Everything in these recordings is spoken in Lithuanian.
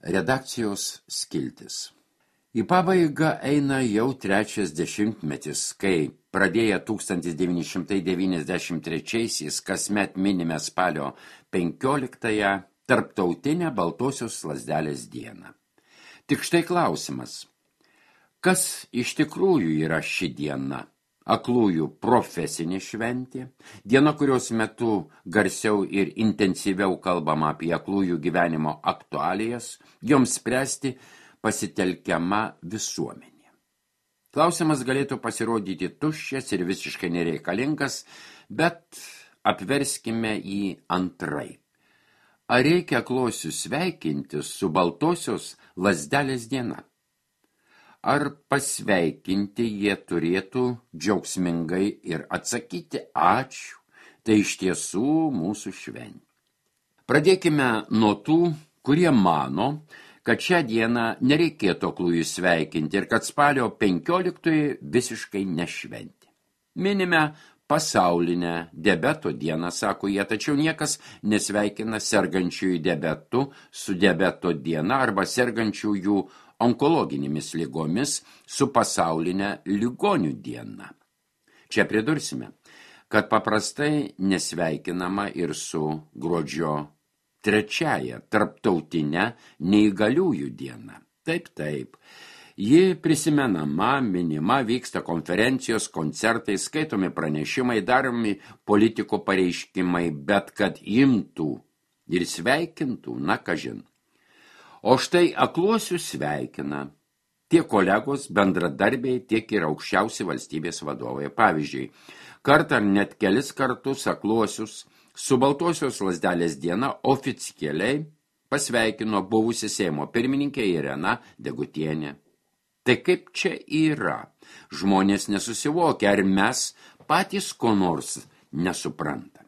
Redakcijos skiltis. Į pabaigą eina jau trečias dešimtmetis, kai pradėję 1993-aisiais kasmet minime spalio 15-ąją Tarptautinę baltosios lazdelės dieną. Tik štai klausimas, kas iš tikrųjų yra ši diena? Aklųjų profesinė šventė, diena, kurios metu garsiau ir intensyviau kalbama apie aklųjų gyvenimo aktualijas, joms spręsti pasitelkiama visuomenė. Klausimas galėtų pasirodyti tuščias ir visiškai nereikalingas, bet apverskime jį antraip. Ar reikia aklosius sveikinti su baltosios lazdelės diena? Ar pasveikinti jie turėtų džiaugsmingai ir atsakyti ačiū, tai iš tiesų mūsų šventė. Pradėkime nuo tų, kurie mano, kad šią dieną nereikėtų aklųjų sveikinti ir kad spalio 15 visiškai nešventė. Minime pasaulinę diabeto dieną, sako jie, tačiau niekas nesveikina sergančiųjų diabetu su diabeto diena arba sergančiųjų onkologinėmis ligomis su pasaulinė ligonių diena. Čia pridursime, kad paprastai nesveikinama ir su gruodžio 3-ąją tarptautinę neįgaliųjų diena. Taip. Ji prisimenama, minima, vyksta konferencijos, koncertai, skaitomi pranešimai, daromi politikų pareiškimai, bet kad imtų ir sveikintų, na kažin. O štai akluosius sveikina tiek kolegos, bendradarbiai, tiek ir aukščiausi valstybės vadovai. Pavyzdžiui, kartą ar net kelis kartus akluosius su baltosios lazdelės diena oficialiai pasveikino buvusi Seimo pirmininkė Irena Degutienė. Tai kaip čia yra? Žmonės nesusivokia, ar mes patys ko nors nesuprantame.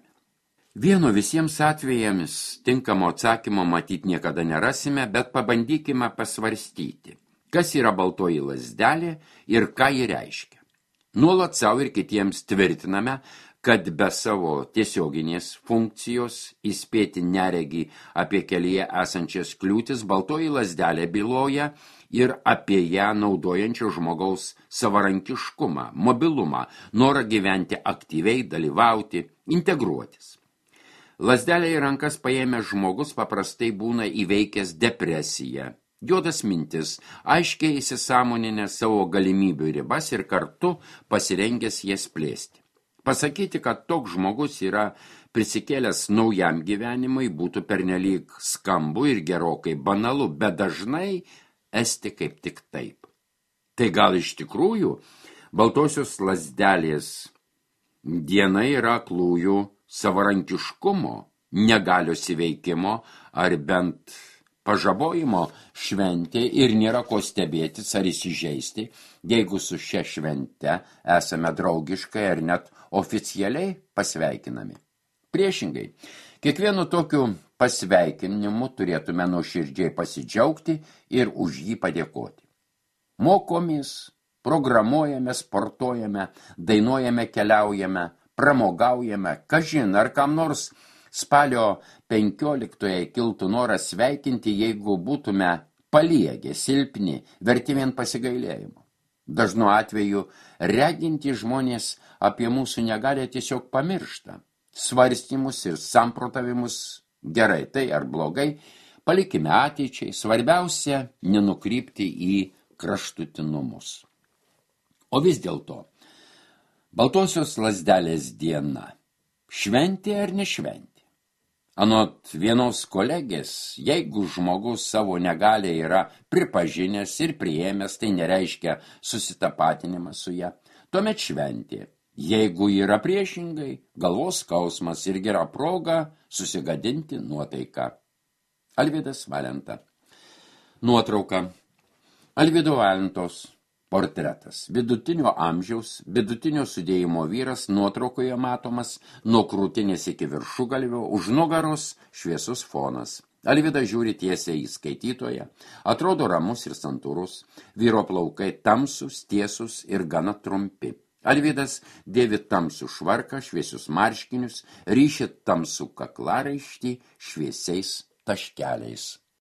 Vieno visiems atvejams tinkamo atsakymo matyt niekada nerasime, bet pabandykime pasvarstyti, kas yra baltoji lazdelė ir ką ji reiškia. Nuolat savo ir kitiems tvirtiname, kad be savo tiesioginės funkcijos įspėti neregį apie kelyje esančias kliūtis, baltoji lazdelė byloja ir apie ją naudojančio žmogaus savarankiškumą, mobilumą, norą gyventi aktyviai, dalyvauti, integruotis. Lazdelę į rankas paėmęs žmogus paprastai būna įveikęs depresiją, juodas mintis, aiškiai įsisąmoninę savo galimybių ribas ir kartu pasirengęs jas plėsti. Pasakyti, kad toks žmogus yra prisikėlęs naujam gyvenimui, būtų pernelyg skambu ir gerokai banalu, bet dažnai esti kaip tik taip. Tai gal iš tikrųjų baltosios lazdelės diena yra aklųjų savarankiškumo, negalios įveikimo ar bent pažabojimo šventė ir nėra ko stebėtis ar įsižeisti, jeigu su šia švente esame draugiškai ar net oficialiai pasveikinami. Priešingai, kiekvienu tokiu pasveikinimu turėtume nuoširdžiai pasidžiaugti ir už jį padėkoti. Mokomės, programuojame, sportuojame, dainuojame, keliaujame, pramogaujame, kažin ar kam nors spalio 15-ąją kiltų noras sveikinti, jeigu būtume paliegę, silpni, verti vien pasigailėjimo. Dažnu atveju reginti žmonės apie mūsų negalę tiesiog pamiršta. Svarstymus ir samprotavimus gerai tai ar blogai palikime ateičiai, svarbiausia nenukrypti į kraštutinumus. O vis dėlto, baltosios lazdelės diena šventė ar nešventė? Anot vienos kolegės, jeigu žmogus savo negalę yra pripažinęs ir priėmęs, tai nereiškia susitapatinimą su ją, tuomet šventė. Jeigu yra priešingai, galvos skausmas ir gera proga susigadinti nuotaiką. Alvydas Valenta. Nuotrauka. Alvydo Valentos portretas. Vidutinio amžiaus, vidutinio sudėjimo vyras nuotraukoje matomas nuo krūtinės iki viršugalvio, už nugaros šviesus fonas. Alvydas žiūri tiesiai į skaitytoją, atrodo ramus ir santūrus, vyro plaukai tamsus, tiesus ir gana trumpi. Alvydas dėvi tamsų švarką, šviesius marškinius, ryši tamsų kaklaraištį šviesiais taškeliais.